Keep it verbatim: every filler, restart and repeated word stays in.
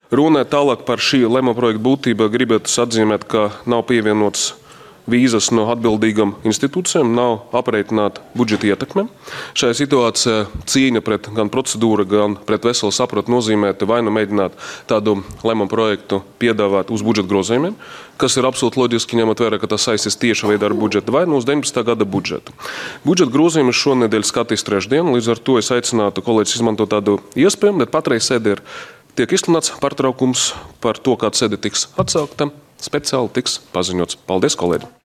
Runājot tālāk par šī lēmuma projekta būtību, gribētu atzīmēt, ka nav pievienots vīzas no atbildīgām institūcijām, nav aprēķināta budžeta ietekme. Šajā situācijā cīņa pret gan procedūru, gan pret veselu sapratu nozīmētu vai nu mēģināt tādu lēmumu projektu piedāvāt uz budžeta grozījumiem, kas ir absolūti loģiski, ņemot vērā, ka tas saistīs tieši veidā ar budžetu, vai nu uz deviņpadsmitā gada budžetu. Budžeta grozījumus šonedēļ skatīs trešdien, līdz ar to es aicinātu kolēģis izmantot tādu iespēju, bet patreiz sēde ir tiek izsludināts pārtraukums par to, kāda sēde tiks atsaukta, speciāli tiks paziņots. Paldies, kolēģi!